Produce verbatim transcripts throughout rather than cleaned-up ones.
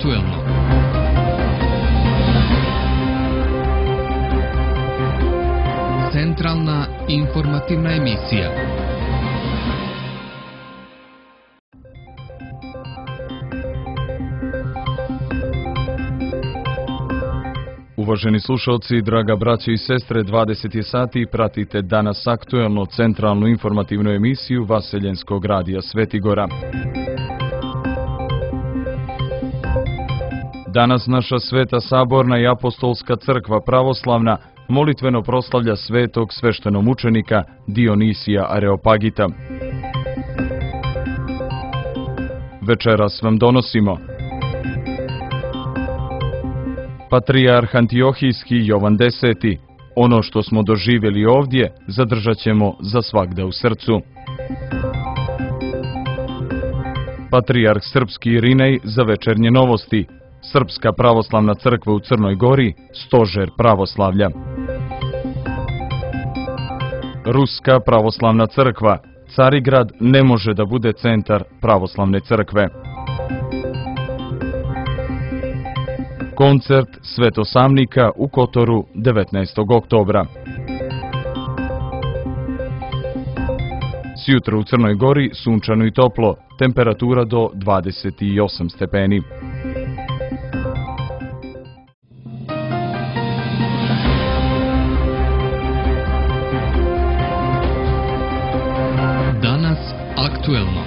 Aktuelno. Centralna informativna emisija. Uvaženi slušalci, draga braćo i sestre, dvadeset je sati, pratite danas aktuelno centralnu informativnu emisiju Vaseljenskog radija Svetigora. Danas naša Sveta Saborna i Apostolska crkva pravoslavna molitveno proslavlja svetog sveštenomučenika Dionisija Areopagita. Večeras vam donosimo Patrijarh Antiohijski Jovan Deseti. Ono što smo doživjeli ovdje zadržat ćemo za svagda u srcu. Patrijarh Srpski Irinej za večernje novosti. Srpska pravoslavna crkva u Crnoj Gori, stožer pravoslavlja. Ruska pravoslavna crkva. Carigrad ne može da bude centar pravoslavne crkve. Koncert Svetosamnika u Kotoru devetnaestog oktobra. Sjutra u Crnoj Gori sunčano i toplo, temperatura do dvadeset osam stepeni. Danas aktuelno.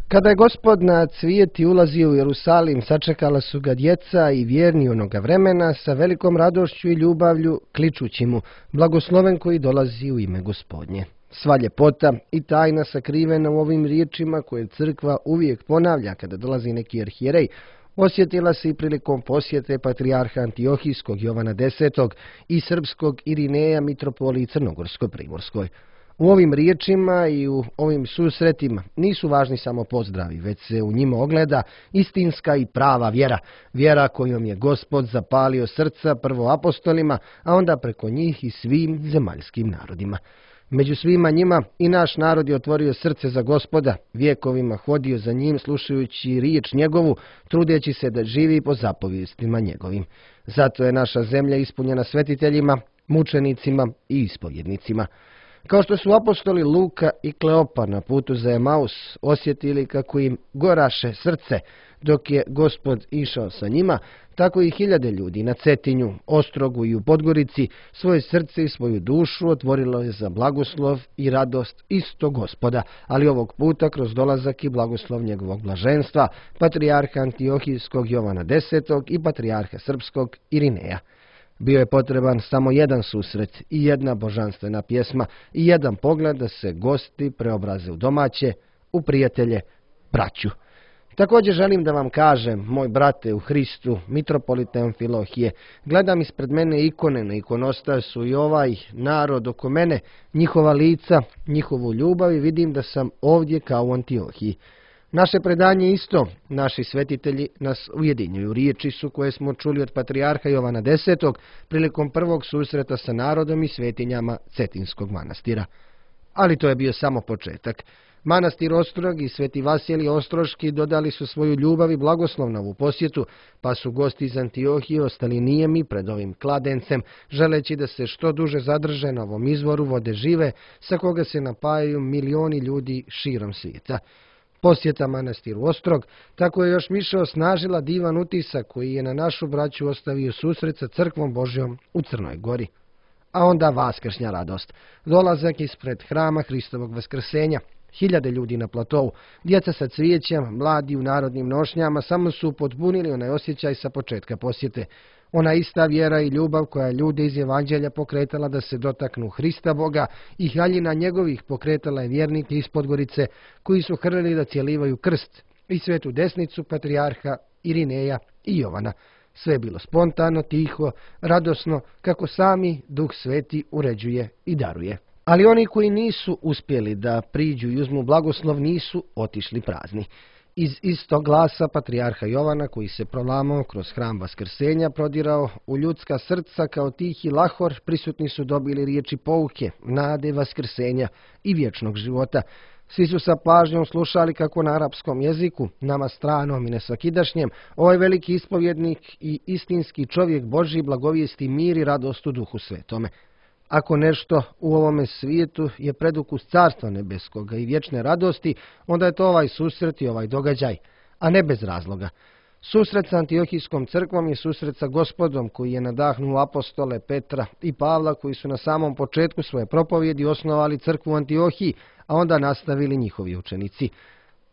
Kada je Gospod na cvijeti ulazio u Jerusalim, sačekala su ga djeca i vjerni onoga vremena sa velikom radošću i ljubavlju, kličući mu, blagosloven koji dolazi u ime Gospodnje. Sva ljepota i tajna sakrivena u ovim riječima koje crkva uvijek ponavlja kada dolazi neki arhijerej, osjetila se i prilikom posjete patrijarha Antiohijskog Jovana Desetog i srpskog Irineja mitropoliji Crnogorsko-Primorskoj. U ovim riječima i u ovim susretima nisu važni samo pozdravi, već se u njima ogleda istinska i prava vjera. Vjera kojom je Gospod zapalio srca prvo apostolima, a onda preko njih i svim zemaljskim narodima. Među svima njima i naš narod je otvorio srce za Gospoda, vjekovima hodio za njim slušajući riječ njegovu, trudeći se da živi po zapovijestima njegovim. Zato je naša zemlja ispunjena svetiteljima, mučenicima i ispovjednicima. Kao što su apostoli Luka i Kleopa na putu za Emaus osjetili kako im goraše srce dok je Gospod išao sa njima, tako i hiljade ljudi na Cetinju, Ostrogu i u Podgorici svoje srce i svoju dušu otvorilo je za blagoslov i radost istog Gospoda, ali ovog puta kroz dolazak i blagoslov njegovog blaženstva, patrijarha Antiohijskog Jovana Desetog i patrijarha Srpskog Irineja. Bio je potreban samo jedan susret i jedna božanstvena pjesma i jedan pogled da se gosti preobraze u domaće, u prijatelje, braću. Također želim da vam kažem, moj brate u Hristu, mitropolite Amfilohije, gledam ispred mene ikone na ikonostasu i ovaj narod oko mene, njihova lica, njihovu ljubav i vidim da sam ovdje kao u Antiohiji. Naše predanje isto, naši svetitelji nas ujedinjuju. Riječi su koje smo čuli od patrijarha Jovana Desetog prilikom prvog susreta sa narodom i svetinjama Cetinskog manastira. Ali to je bio samo početak. Manastir Ostrog i Sveti Vasilij Ostroški dodali su svoju ljubav i blagoslov na ovu posjetu, pa su gosti iz Antiohije ostali nijemi pred ovim kladencem, želeći da se što duže zadrže na ovom izvoru vode žive, sa koga se napajaju milioni ljudi širom svijeta. Posjeta manastiru Ostrog tako je još više osnažila divan utisak koji je na našu braću ostavio susret sa crkvom Božjom u Crnoj Gori. A onda vaskršnja radost, dolazak ispred hrama Hristovog vaskrsenja, hiljade ljudi na platovu, djeca sa cvijećem, mladi u narodnim nošnjama samo su potpunili onaj osjećaj sa početka posjete. Ona ista vjera i ljubav koja je ljude iz Evanđelja pokretala da se dotaknu Hrista Boga i haljina njegovih pokretala je vjernike iz Podgorice koji su hrlili da cjelivaju krst i svetu desnicu patrijarha Irineja i Jovana. Sve je bilo spontano, tiho, radosno, kako sami Duh Sveti uređuje i daruje. Ali oni koji nisu uspjeli da priđu i uzmu blagoslov nisu otišli prazni. Iz istog glasa patrijarha Jovana, koji se prolamao kroz hram Vaskrsenja, prodirao u ljudska srca kao tihi lahor, prisutni su dobili riječi pouke, nade Vaskrsenja i vječnog života. Svi su sa pažnjom slušali kako na arapskom jeziku, nama stranom i nesvakidašnjem, ovaj veliki ispovjednik i istinski čovjek Božji blagovijesti mir i radost u Duhu Svetome. Ako nešto u ovome svijetu je predukus Carstva nebeskoga i vječne radosti, onda je to ovaj susret i ovaj događaj, a ne bez razloga. Susret sa Antiohijskom crkvom je susret sa Gospodom, koji je nadahnuo apostole Petra i Pavla, koji su na samom početku svoje propovjedi osnovali crkvu u Antiohiji, a onda nastavili njihovi učenici.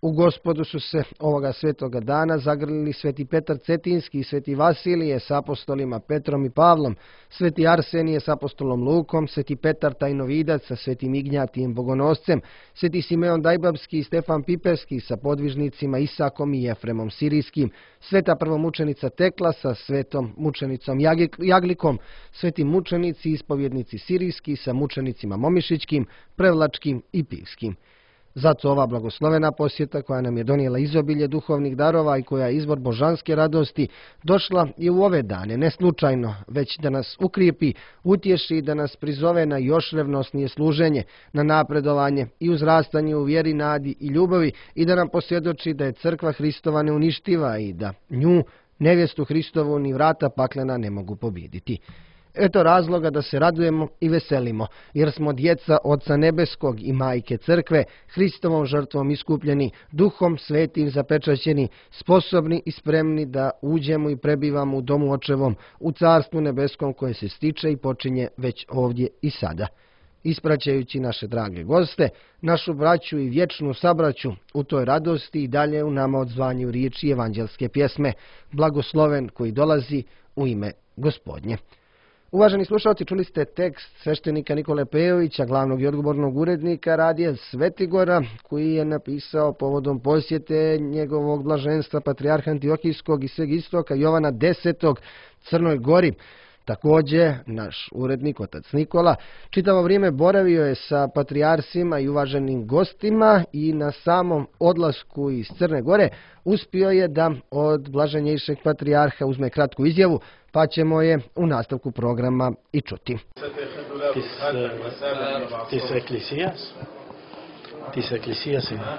U Gospodu su se ovoga svetoga dana zagrlili sveti Petar Cetinski i sveti Vasilije s apostolima Petrom i Pavlom, sveti Arsenije s apostolom Lukom, sveti Petar Tajnovidac sa svetim Ignjatijem Bogonoscem, sveti Simeon Dajbabski i Stefan Piperski sa podvižnicima Isakom i Jefremom Sirijskim, sveta prvomučenica Tekla sa svetom mučenicom Jaglikom, sveti mučenici i ispovjednici Sirijski sa mučenicima Momišićkim, Prevlačkim i Pivskim. Zato ova blagoslovena posjeta, koja nam je donijela izobilje duhovnih darova i koja je izvor božanske radosti, došla je u ove dane, ne slučajno, već da nas ukrijepi, utješi i da nas prizove na još revnosnije služenje, na napredovanje i uzrastanje u vjeri, nadi i ljubavi i da nam posvjedoči da je crkva Hristova neuništiva i da nju, nevjestu Hristovu, ni vrata paklena ne mogu pobijediti. Eto razloga da se radujemo i veselimo, jer smo djeca Oca Nebeskog i Majke Crkve, Hristovom žrtvom iskupljeni, Duhom Svetim zapečaćeni, sposobni i spremni da uđemo i prebivamo u domu Očevom, u Carstvu Nebeskom koje se stiče i počinje već ovdje i sada. Ispraćajući naše drage goste, našu braću i vječnu sabraću u toj radosti i dalje u nama odzvanju riječi evanđelske pjesme, blagosloven koji dolazi u ime Gospodnje. Uvaženi slušalci, čuli ste tekst sveštenika Nikole Pejovića, glavnog i odgovornog urednika radija Svetigora, koji je napisao povodom posjete njegovog blaženstva patrijarha Antiohijskog i sveg istoka Jovana desetog Crnoj Gori. Također, naš urednik, otac Nikola, čitavo vrijeme boravio je sa patrijarsima i uvaženim gostima i na samom odlasku iz Crne Gore uspio je da od blaženjejšeg patrijarha uzme kratku izjavu, pa ćemo je u nastavku programa i čuti. Tis eklisijas? Tis eklisijas ima?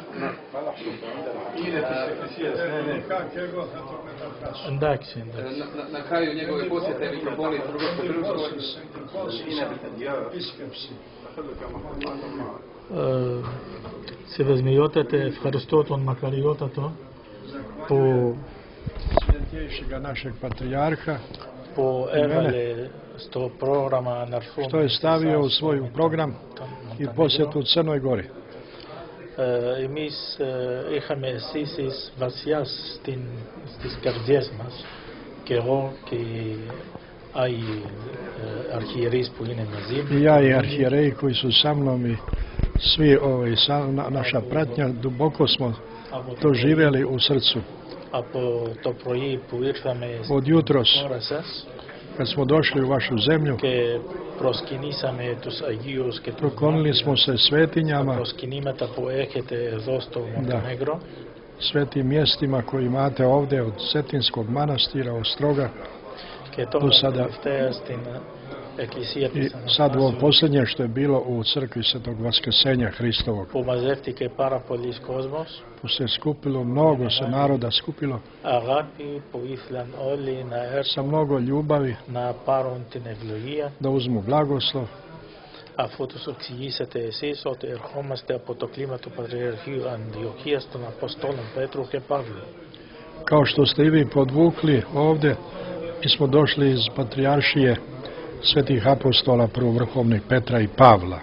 Ndak se, ndak. Na kraju njegove posjete mitropolit се възмиотате Евхаристотон Макариотато по Святейшего нашeg patrijarha по евале сто програма Нарфон, što je stavio u svoj program i posjetu Crnoj Gori. Εμείς είχαμε αισθήσεις βαθιάς στις καρδιές μας και εγώ και οι αρχιερείς που είναι μαζί μου. I ja i arhijereji koji su sa mnom i svi ovaj, sa, na, naša pratnja, duboko smo to živjeli u srcu. Από το πρωί που ήρθαμε Od jutros, χώρα σας kad smo došli u vašu zemlju, και προσκυνήσαμε τους Αγίους και τους poklonili smo se τα svetinjama, προσκυνήματα που έχετε εδώ στο Μοντενέγκρο svetim mjestima koji imate ovdje od Cetinskog manastira, Ostroga, και do τώρα sada τελευταία στην Εκκλησία i της sad ovo Αναστάσεως posljednje što je bilo u crkvi Svetog Vaskrsenja Hristovog. που μαζεύτηκε πάρα πολλής κόσμος, Tu se skupilo, mnogo se naroda skupilo, αγάπη που ήθελαν όλοι να sa έρθουν mnogo ljubavi να πάρουν την ευλογία, da uzmu blagoslov, αφού τους εξηγήσατε εσείς ότι ερχόμαστε από το κλίμα του Πατριαρχείου Αντιοχίας των Αποστόλων Πέτρου και Παύλου. kao što ste i vi podvukli ovdje. Mi smo došli iz patrijaršije svetih apostola prvovrhovnih Petra i Pavla.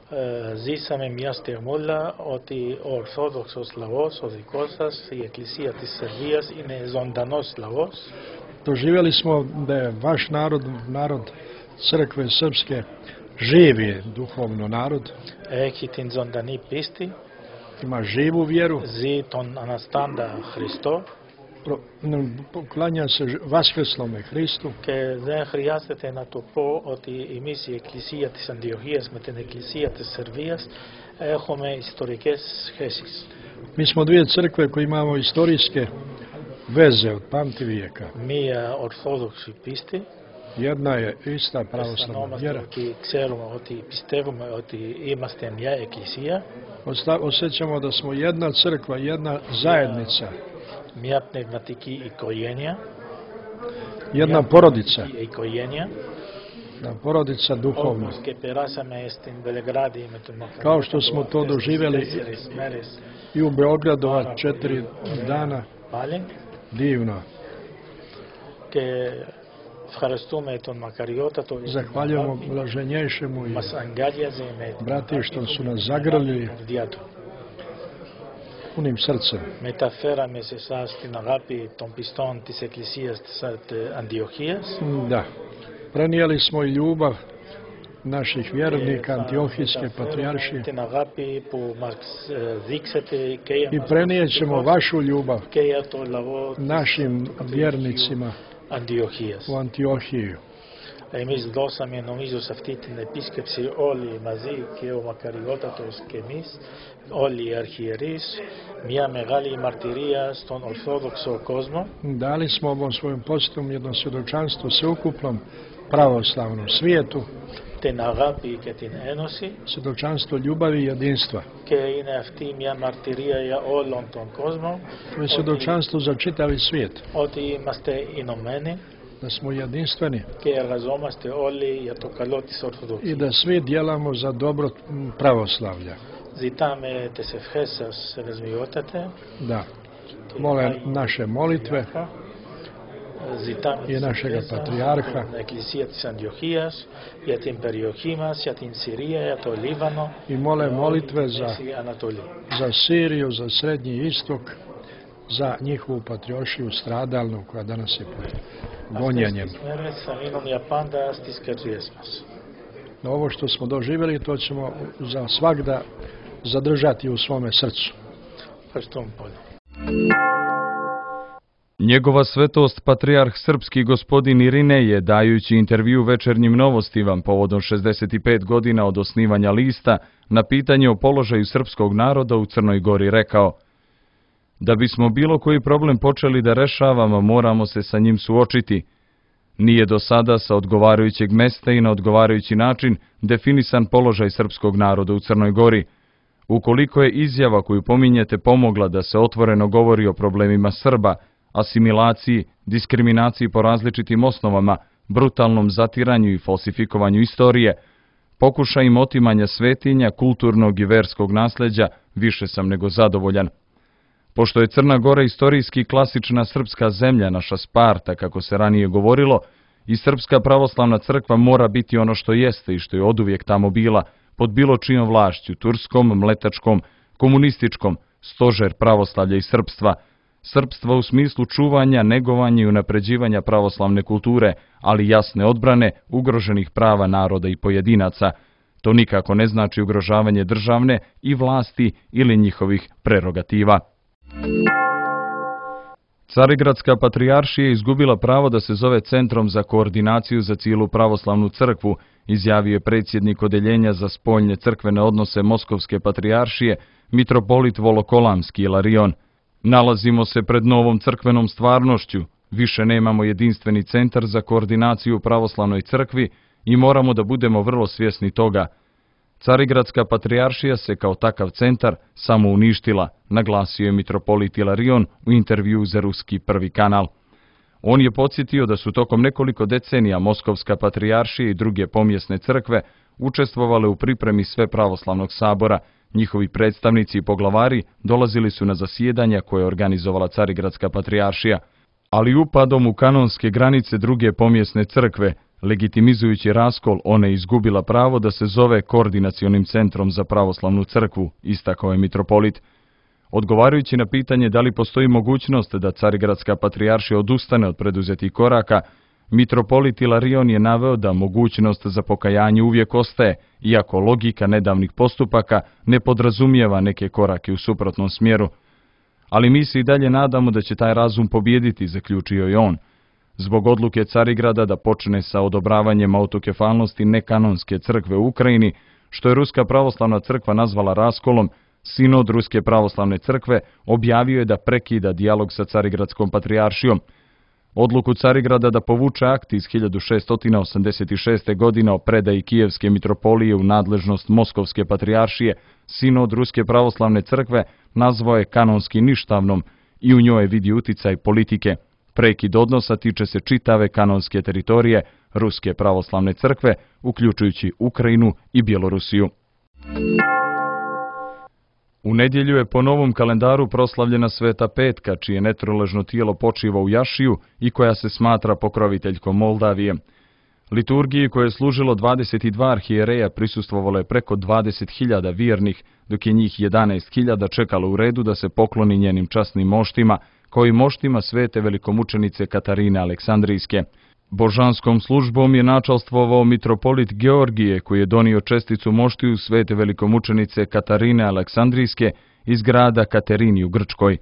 Ε, ζήσαμε μια στιγμούλα ότι ο Ορθόδοξος λαός, ο δικός σας, η Εκκλησία της Σερβίας είναι ζωντανός λαός. Doživjeli smo da je vaš narod, narod crkve srpske, živi duhovno narod, Έχει την ζωντανή πίστη, ima živu vjeru, ζει τον Αναστάντα Χριστό pro- n- poklanja se ž- vaskrslome Hristu και δεν χρειάζεται να του πω ότι εμείς η Εκκλησία της Αντιοχίας με την Εκκλησία της Σερβίας έχουμε ιστορικές σχέσεις. Mi smo dvije crkve koje imamo istorijske veze od pamtivijeka. Ние ортодокси писти, Jedna je ista pravoslavna станомαστε vjera. ότι ξέρουμε ότι πιστεύουμε ότι είμαστε μια εκκλησία, Osta- Osjećamo da smo jedna crkva, jedna zajednica, μια πνευματική οικογένεια, jedna μια porodica, πνευματική οικογένεια, jedna porodica duhovna. όπως και περάσαμε στην Βελεγράδη με τον Kao što smo to doživjeli τέσσερις μέρες i u Beogradu ova četiri dana, πάλι divno. και ευχαριστούμε τον Μακαριότατο Zahvaljujemo blaženjejšemu i μας αγκάλιαζε με την brati što αγάπη su του nas και zagrlili την καρδιά του. punim srcem. Μεταφέραμε σε εσάς την αγάπη των πιστών της Εκκλησίας της Αντιοχίας. Da, prenijeli smo i ljubav naših vjernika Antiohijske patrijaršije την αγάπη που μας ε, δείξατε και για i μας prenijet ćemo vašu ljubav και για το λαό našim vjernicima Αντιοχίας. u Antiohiju. Εμείς δώσαμε νομίζω σε αυτή την επίσκεψη όλοι μαζί και ο Μακαριότατος και εμείς, όλοι οι αρχιερείς, μια μεγάλη μαρτυρία στον Ορθόδοξο κόσμο. Dali smo ovom svojom posjetom jedno svjedočanstvo sveukupnom pravoslavnom svijetu, την αγάπη και την ένωση svjedočanstvo ljubavi i jedinstva. και είναι αυτή μια μαρτυρία για όλον τον κόσμο To je svjedočanstvo za čitavi svijet, ότι είμαστε ενωμένοι da smo jedinstveni και εργαζόμαστε όλοι για το καλό της i Ορθοδοξίας. da svi djelamo za dobro m, pravoslavlja. Ζητάμε τις ευχές σας, Σεβεσμιότατε, Da, mole naše molitve ζητάμε i τις našega ευχές σας patrijarha για την Εκκλησία της Αντιοχίας, για την περιοχή μας, για την Συρία, για το Λίβανο, i mole για όλη molitve τη za, Μέση Ανατολή. za Siriju, za Srednji istok, za njihovu patrijaršiju stradalnu koja danas je pod gonjenjem. Αυτές τις μέρες θα μείνουν για πάντα στις καρδιές μας. No, ovo što smo doživjeli, to ćemo za svagda zadržati u svome srcu. Ευχαριστούμε πολύ. Njegova svetost patrijarh srpski gospodin Irinej, dajući intervju Večernjim novostima povodom šezdeset pet godina od osnivanja lista, na pitanje o položaju srpskog naroda u Crnoj Gori rekao: da bismo bilo koji problem počeli da rešavamo, moramo se sa njim suočiti. Nije do sada sa odgovarajućeg mesta i na odgovarajući način definisan položaj srpskog naroda u Crnoj Gori. Ukoliko je izjava koju pominjete pomogla da se otvoreno govori o problemima Srba, asimilaciji, diskriminaciji po različitim osnovama, brutalnom zatiranju i falsifikovanju istorije, pokušajima otimanja svetinja, kulturnog i verskog nasljeđa, više sam nego zadovoljan. Pošto je Crna Gora istorijski klasična srpska zemlja, naša Sparta, kako se ranije govorilo, i Srpska pravoslavna crkva mora biti ono što jeste i što je oduvijek tamo bila, pod bilo čijom vlašću, turskom, mletačkom, komunističkom, stožer pravoslavlja i srpstva, srpstva u smislu čuvanja, negovanja i unapređivanja pravoslavne kulture, ali jasne odbrane ugroženih prava naroda i pojedinaca. To nikako ne znači ugrožavanje državne i vlasti ili njihovih prerogativa. Carigradska patrijaršija je izgubila pravo da se zove Centrom za koordinaciju za cijelu pravoslavnu crkvu, izjavio je predsjednik Odeljenja za spoljne crkvene odnose Moskovske patrijaršije, mitropolit Volokolamski Ilarion. Nalazimo se pred novom crkvenom stvarnošću, više nemamo jedinstveni centar za koordinaciju u pravoslavnoj crkvi i moramo da budemo vrlo svjesni toga. Carigradska patrijaršija se kao takav centar samo uništila, naglasio je mitropolit Ilarion u intervju za ruski prvi kanal. On je podsjetio da su tokom nekoliko decenija Moskovska patrijaršija i druge pomjesne crkve učestvovale u pripremi sve pravoslavnog sabora. Njihovi predstavnici i poglavari dolazili su na zasjedanja koje je organizovala Carigradska patrijaršija, ali upadom u kanonske granice druge pomjesne crkve, legitimizujući raskol, ona je izgubila pravo da se zove Koordinacionim centrom za pravoslavnu crkvu, istakao je mitropolit. Odgovarajući na pitanje da li postoji mogućnost da Carigradska patrijaršija odustane od preduzetih koraka, mitropolit Ilarion je naveo da mogućnost za pokajanje uvijek ostaje, iako logika nedavnih postupaka ne podrazumijeva neke korake u suprotnom smjeru. Ali mi se i dalje nadamo da će taj razum pobijediti, zaključio je on. Zbog odluke Carigrada da počne sa odobravanjem autokefalnosti nekanonske crkve u Ukrajini, što je Ruska pravoslavna crkva nazvala raskolom, Sinod Ruske pravoslavne crkve objavio je da prekida dijalog sa Carigradskom patrijaršijom. Odluku Carigrada da povuče akt iz hiljadu šeststo osamdeset šeste. godine o predaji Kijevske mitropolije u nadležnost Moskovske patrijaršije, Sinod Ruske pravoslavne crkve nazvao je kanonski ništavnom i u njoj vidi uticaj politike. Prekid odnosa tiče se čitave kanonske teritorije Ruske pravoslavne crkve, uključujući Ukrajinu i Bjelorusiju. U nedjelju je po novom kalendaru proslavljena Sveta Petka, čije netroležno tijelo počiva u Jašiju i koja se smatra pokroviteljkom Moldavije. Liturgiji koje je služilo dvadeset dva arhijereja prisustvovalo je preko dvadeset hiljada vjernih, dok je njih jedanaest hiljada čekalo u redu da se pokloni njenim časnim moštima, kao i moštima svete velikomučenice Katarine Aleksandrijske. Božanskom službom je načalstvovao mitropolit Georgije, koji je donio česticu moštiju svete velikomučenice Katarine Aleksandrijske iz grada Katerini u Grčkoj.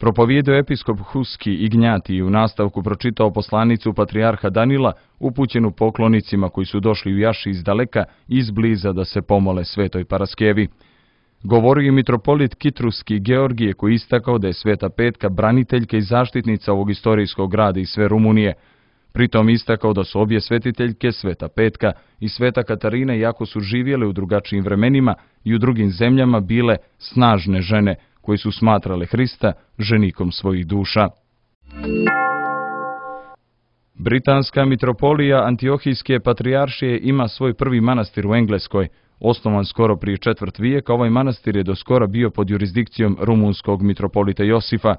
Propovijedao episkop Huski Ignjati i u nastavku pročitao poslanicu patrijarha Danila, upućenu poklonicima koji su došli u Jaši iz daleka i izbliza da se pomole svetoj Paraskevi. Govorio je mitropolit Kitruski Georgije, koji istakao da je Sveta Petka braniteljka i zaštitnica ovog istorijskog grada i sve Rumunije. Pritom istakao da su obje svetiteljke, Sveta Petka i Sveta Katarina, iako su živjele u drugačijim vremenima i u drugim zemljama, bile snažne žene koje su smatrale Hrista ženikom svojih duša. Britanska mitropolija Antiohijske patrijaršije ima svoj prvi manastir u Engleskoj. Osnovan skoro prije četvrt vijeka, ovaj manastir je do skora bio pod jurisdikcijom rumunskog mitropolita Josifa.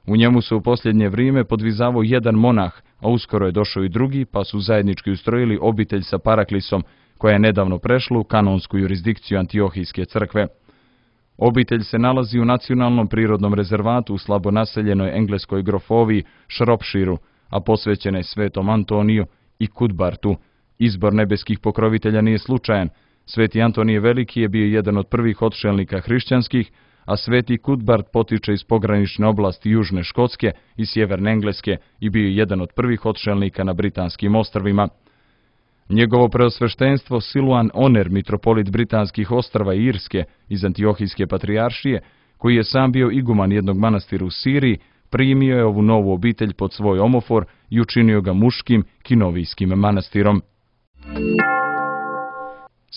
U njemu se u posljednje vrijeme podvizavao jedan monah, a uskoro je došao i drugi, pa su zajednički ustrojili obitelj sa Paraklisom, koja je nedavno prešla u kanonsku jurisdikciju Antiohijske crkve. Obitelj se nalazi u nacionalnom prirodnom rezervatu u slabo naseljenoj engleskoj grofoviji Shropshireu, a posvećena je svetom Antoniju i Kudbartu. Izbor nebeskih pokrovitelja nije slučajan. Sveti Antonije Veliki je bio jedan od prvih odšelnika hrišćanskih, a sveti Kudbart potiče iz pogranične oblasti Južne Škotske i Sjeverne Engleske i bio je jedan od prvih odšelnika na Britanskim ostrvima. Njegovo preosveštenstvo Siluan Oner, mitropolit Britanskih ostrva i Irske iz Antiohijske patrijaršije, koji je sam bio iguman jednog manastira u Siriji, primio je ovu novu obitelj pod svoj omofor i učinio ga muškim kinovijskim manastirom.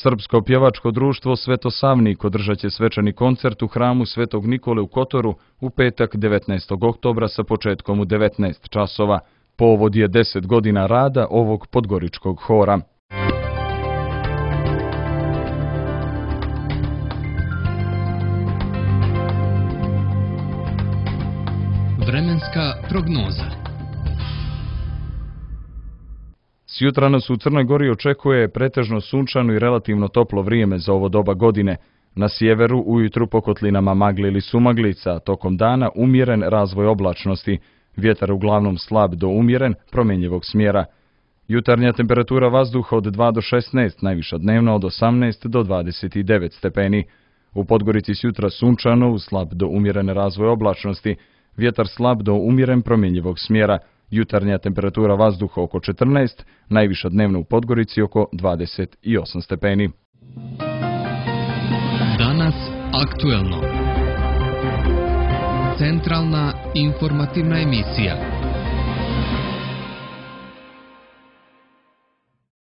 Srpsko pjevačko društvo Svetosavnik održat će svečani koncert u hramu Svetog Nikole u Kotoru u petak devetnaestog oktobra sa početkom u devetnaest časova. Povod je deset godina rada ovog podgoričkog hora. Vremenska prognoza. Sjutra nas u Crnoj Gori očekuje pretežno sunčano i relativno toplo vrijeme za ovo doba godine. Na sjeveru ujutru po kotlinama magli ili sumaglica, tokom dana umjeren razvoj oblačnosti, vjetar uglavnom slab do umjeren, promjenjivog smjera. Jutarnja temperatura vazduha od dva do šesnaest, najviša dnevno od osamnaest do dvadeset devet stepeni. U Podgorici sjutra sunčano uz slab do umjeren razvoj oblačnosti, vjetar slab do umjeren, promjenjivog smjera. Jutarnja temperatura vazduha oko četrnaest, najviša dnevno u Podgorici oko dvadeset osam stepeni. Danas aktuelno. Centralna informativna emisija.